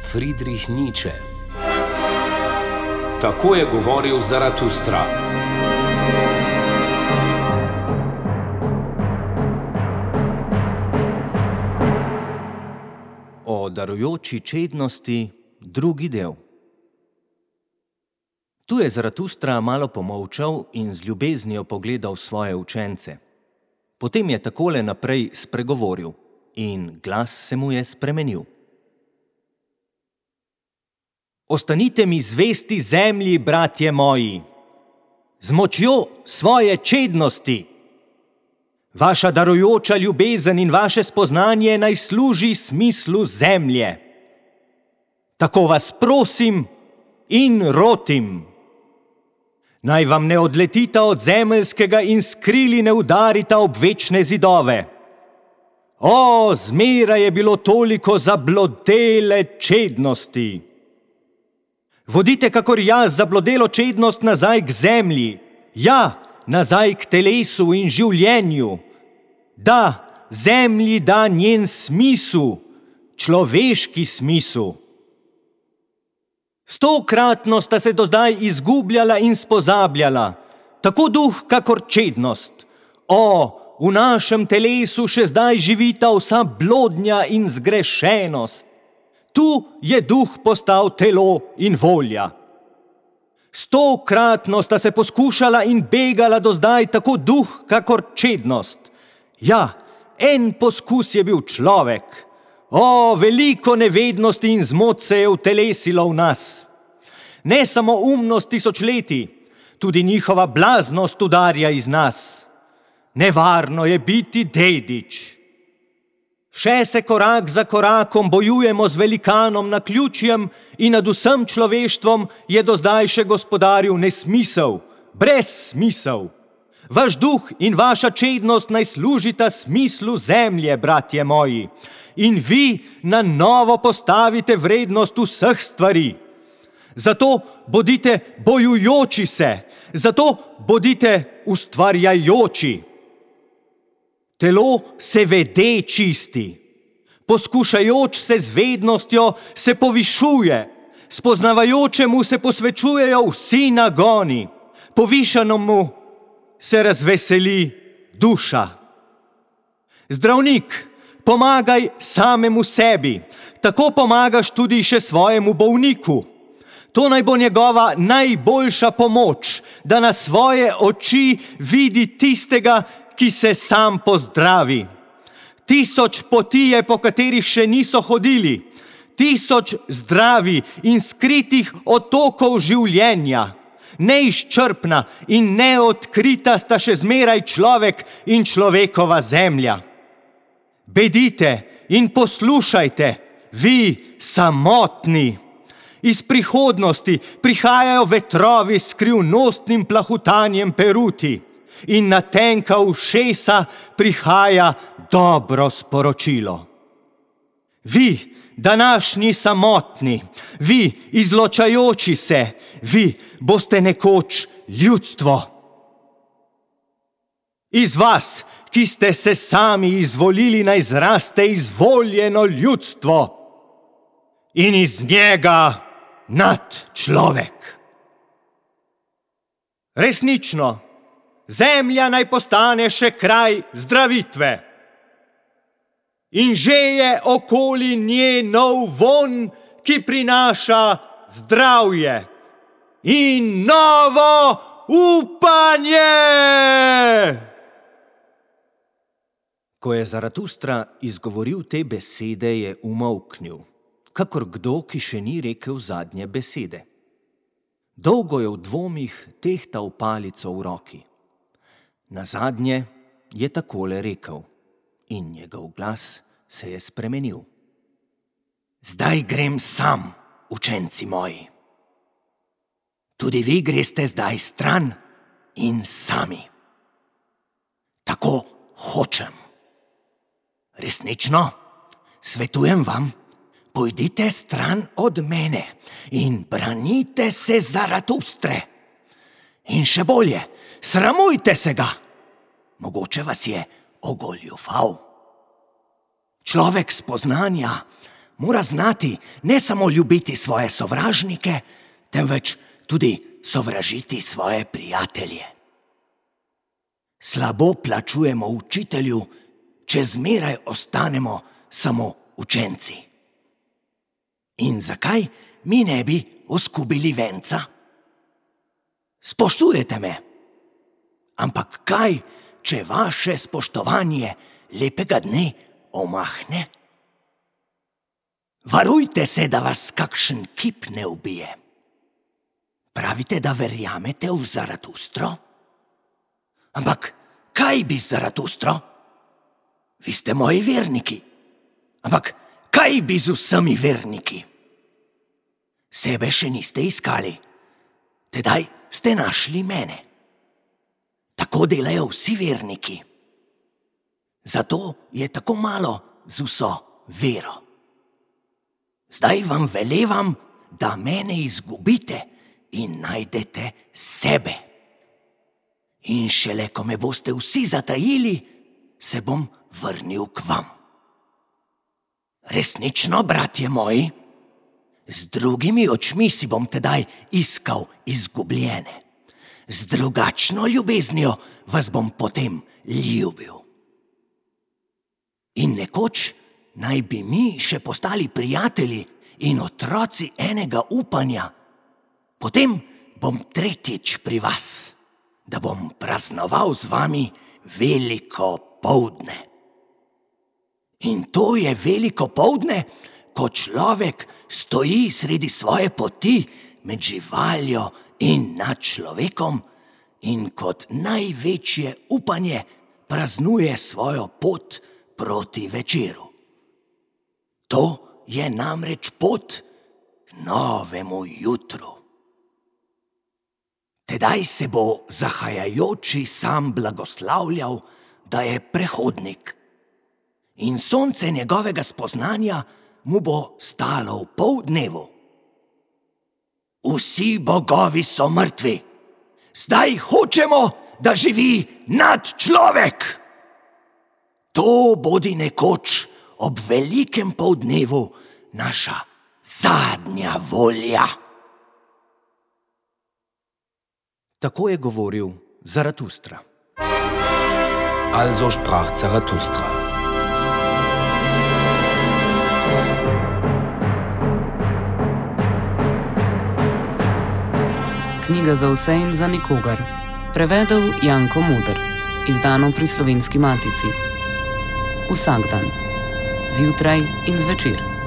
Friedrich Nietzsche. Tako je govoril Zaratustra. O darujoči čednosti, drugi del. Tu je Zaratustra malo pomolčal in z ljubeznijo pogledal svoje učence. Potem je takole naprej spregovoril in glas se mu je spremenil. Ostanite mi zvesti zemlji, bratje moji, z močjo svoje čednosti. Vaša darujoča ljubezen in vaše spoznanje naj služi smislu zemlje. Tako vas prosim in rotim. Naj vam ne odletita od zemeljskega in skrili ne udarita ob večne zidove. O, zmeraj je bilo toliko zablodele čednosti. Vodite, kakor jaz, zablodelo čednost nazaj k zemlji, ja, nazaj k telesu in življenju. Da, zemlji da njen smisel, človeški smisel. Stokratno sta se do zdaj izgubljala in spozabljala, tako duh, kakor čednost. O, v našem telesu še zdaj živita vsa blodnja in zgrešenost. Tu je duh postal telo in volja. Stokratno sta se poskušala in begala do zdaj tako duh, kakor čednost. Ja, en poskus je bil človek. O, veliko nevednosti in zmot se je utelesilo v nas. Ne samo umnost tisočletij, tudi njihova blaznost udarja iz nas. Nevarno je biti dedič. Še se korak za korakom bojujemo z velikanom naključjem in nad vsem človeštvom je do zdaj še gospodaril nesmisel, brezsmisel. Vaš duh in vaša čednost naj služita smislu zemlje, bratje moji, in vi na novo postavite vrednost vseh stvari. Zato bodite bojujoči se, zato bodite ustvarjajoči. Telo se vede čisti, poskušajoč se z vednostjo se povišuje, spoznavajočemu se posvečujejo vsi nagoni, povišanemu se razveseli duša. Zdravnik, pomagaj samemu sebi, tako pomagaš tudi še svojemu bolniku. To naj bo njegova najboljša pomoč, da na svoje oči vidi tistega, ki se sam pozdravi. 1000 poti je, po katerih še niso hodili, 1000 zdravi in skritih otokov življenja. Neizčrpna in neodkrita sta še zmeraj človek in človekova zemlja. Bedite in poslušajte, vi samotni. Iz prihodnosti prihajajo vetrovi s skrivnostnim plahutanjem peruti. In na tenka ušesa prihaja dobro sporočilo. Vi, današnji samotni, vi, izločajoči se, vi boste nekoč ljudstvo. Iz vas, ki ste se sami izvolili, naj zraste izvoljeno ljudstvo in iz njega nadčlovek. Resnično, zemlja naj postane še kraj zdravitve. In že je okoli nje nov vonj, ki prinaša zdravje in novo upanje. Ko je Zaratustra izgovoril te besede, je umolknil, kakor kdo, ki še ni rekel zadnje besede. Dolgo je v dvomih tehtal palico v roki. Nazadnje je takole rekel in njegov glas se je spremenil. Zdaj grem sam, učenci moji. Tudi vi greste zdaj stran in sami. Tako hočem. Resnično, svetujem vam, pojdite stran od mene in branite se Zaratustre. In še bolje, sramujte se ga. Mogoče vas je ogoljufal. Človek spoznanja mora znati ne samo ljubiti svoje sovražnike, temveč tudi sovražiti svoje prijatelje. Slabo plačujemo učitelju, če zmeraj ostanemo samo učenci. In zakaj mi ne bi oskubili venca? Spoštujete me, ampak kaj, če vaše spoštovanje lepega dne omahne? Varujte se, da vas kakšen kip ne ubije. Pravite, da verjamete v Zaratustro? Ampak kaj bi z Zaratustro? Vi ste moji verniki. Ampak kaj bi z vsemi verniki? Sebe še niste iskali, tedaj ste našli mene. Tako delajo vsi verniki. Zato je tako malo z vso vero. Zdaj vam velevam, da mene izgubite in najdete sebe. In šele, ko me boste vsi zatajili, se bom vrnil k vam. Resnično, bratje moji, z drugimi očmi si bom tedaj iskal izgubljene. Z drugačno ljubeznijo vas bom potem ljubil. In nekoč naj bi mi še postali prijatelji in otroci enega upanja. Potem bom tretjič pri vas, da bom praznoval z vami veliko poldne. In to je veliko poldne, ko človek stoji sredi svoje poti med živaljo in nad človekom in kot največje upanje praznuje svojo pot proti večeru. To je namreč pot k novemu jutru. Tedaj se bo zahajajoči sam blagoslavljal, da je prehodnik, in sonce njegovega spoznanja mu bo stalo v poldnevu. Vsi bogovi so mrtvi, zdaj hočemo, da živi nadčlovek. To bodi nekoč ob velikem poldnevu naša zadnja volja. Tako je govoril Zaratustra. Also sprach Zarathustra. Knjiga za vse in za nikogar. Prevedel Janko Muder. Izdano pri Slovenski matici. Vsak dan. Zjutraj in zvečer.